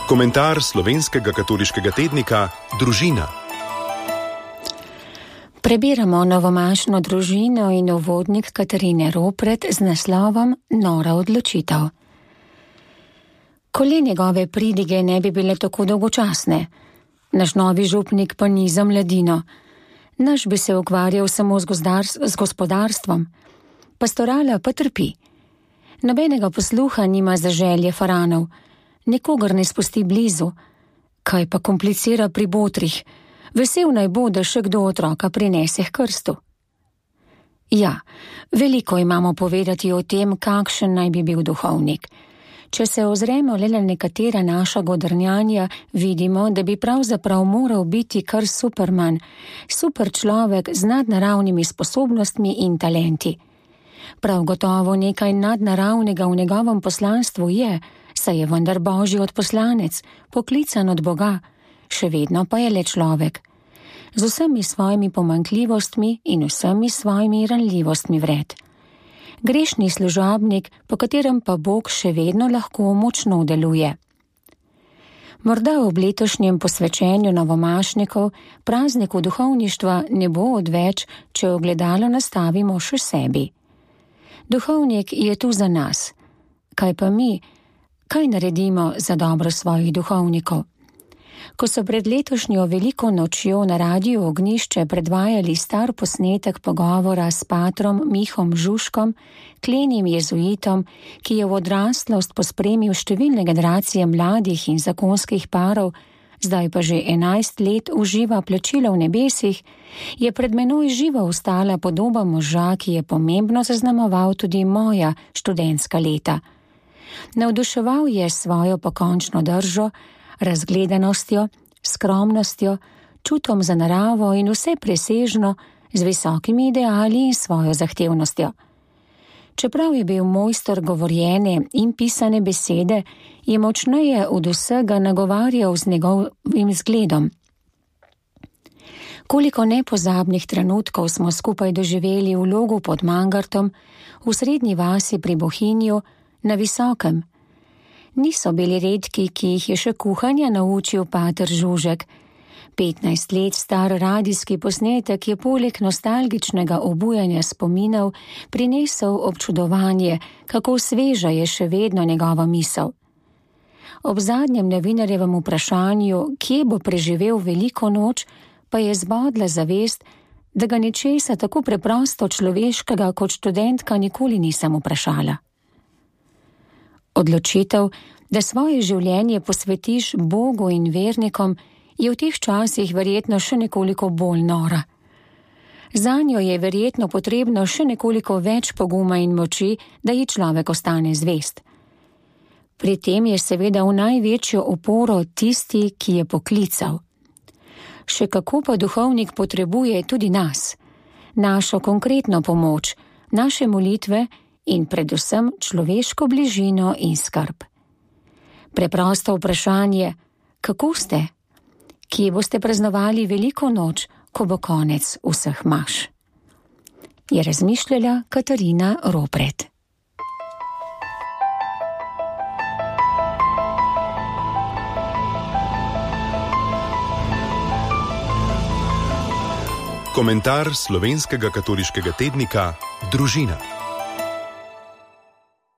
Komentar slovenskega katoliškega tednika Družina. Prebiramo novomašno družino in uvodnik Katarine Ropret z naslovom Nora odločitev. Koli njegove pridige ne bi bile tako dolgočasne. Naš novi župnik pa ni za mladino. Naš bi se ukvarjal samo z gospodarstvom. Pastorala pa trpi. Nobenega posluha nima za želje faranov. Nikogar ne spusti blizu. Kaj pa komplicira pri botrih? Vesel naj bo, da še kdo otroka prinese k krstu. Ja, veliko imamo povedati o tem, kakšen naj bi bil duhovnik. Če se ozremo le na nekatera naša godrnjanja, vidimo, da bi pravzaprav moral biti kar superman, super človek z nadnaravnimi sposobnostmi in talenti. Prav gotovo nekaj nadnaravnega v njegovem poslanstvu je, saj je vendar Božji odposlanec, poklican od Boga, še vedno pa je le človek. Z vsemi svojimi pomanjkljivostmi in vsemi svojimi ranljivostmi vred. Grešni služabnik, po katerem pa Bog še vedno lahko močno deluje. Morda ob letošnjem posvečenju novomašnikov prazniku duhovništva ne bo odveč, če ogledalo nastavimo še sebi. Duhovnik je tu za nas. Kaj pa mi? Kaj naredimo za dobro svojih duhovnikov? Ko so pred letošnjo veliko nočjo na Radiu Ognjišče predvajali star posnetek pogovora s patrom Mihom Žužkom, klenim jezuitom, ki je v odraslost pospremil številne generacije mladih in zakonskih parov, zdaj pa že 11 let uživa plačilo v nebesih, je pred menoj živo ostala podoba moža, ki je pomembno zaznamoval tudi moja študentska leta. Navduševal je svojo pokončno držo, razgledanostjo, skromnostjo, čutom za naravo in vse presežno, z visokimi ideali in svojo zahtevnostjo. Čeprav je bil mojster govorjene in pisane besede, je močneje od vsega nagovarjal z njegovim zgledom. Koliko nepozabnih trenutkov smo skupaj doživeli v Logu pod Mangartom, v srednji vasi pri Bohinju, na Visokem. Niso bili redki, ki jih je še kuhanja naučil pater Žužek. 15 let star radijski posnetek je poleg nostalgičnega obujanja spominov prinesel občudovanje, kako sveža je še vedno njegova misel. Ob zadnjem novinarjevem vprašanju, kje bo preživel veliko noč, pa je zbodla zavest, da ga ničesa tako preprosto človeškega kot študentka nikoli nisem vprašala. Odločitev, da svoje življenje posvetiš Bogu in vernikom, je v teh časih verjetno še nekoliko bolj nora. Zanjo je verjetno potrebno še nekoliko več poguma in moči, da ji človek ostane zvest. Pri tem je seveda v največjo oporo tisti, ki je poklical. Še kako pa duhovnik potrebuje tudi nas, našo konkretno pomoč, naše molitve in predvsem človeško bližino in skrb. Preprosto vprašanje, kako ste? Kje boste praznovali veliko noč, ko bo konec vseh maš? Je razmišljala Katarina Ropret. Komentar slovenskega katoliškega tednika Družina.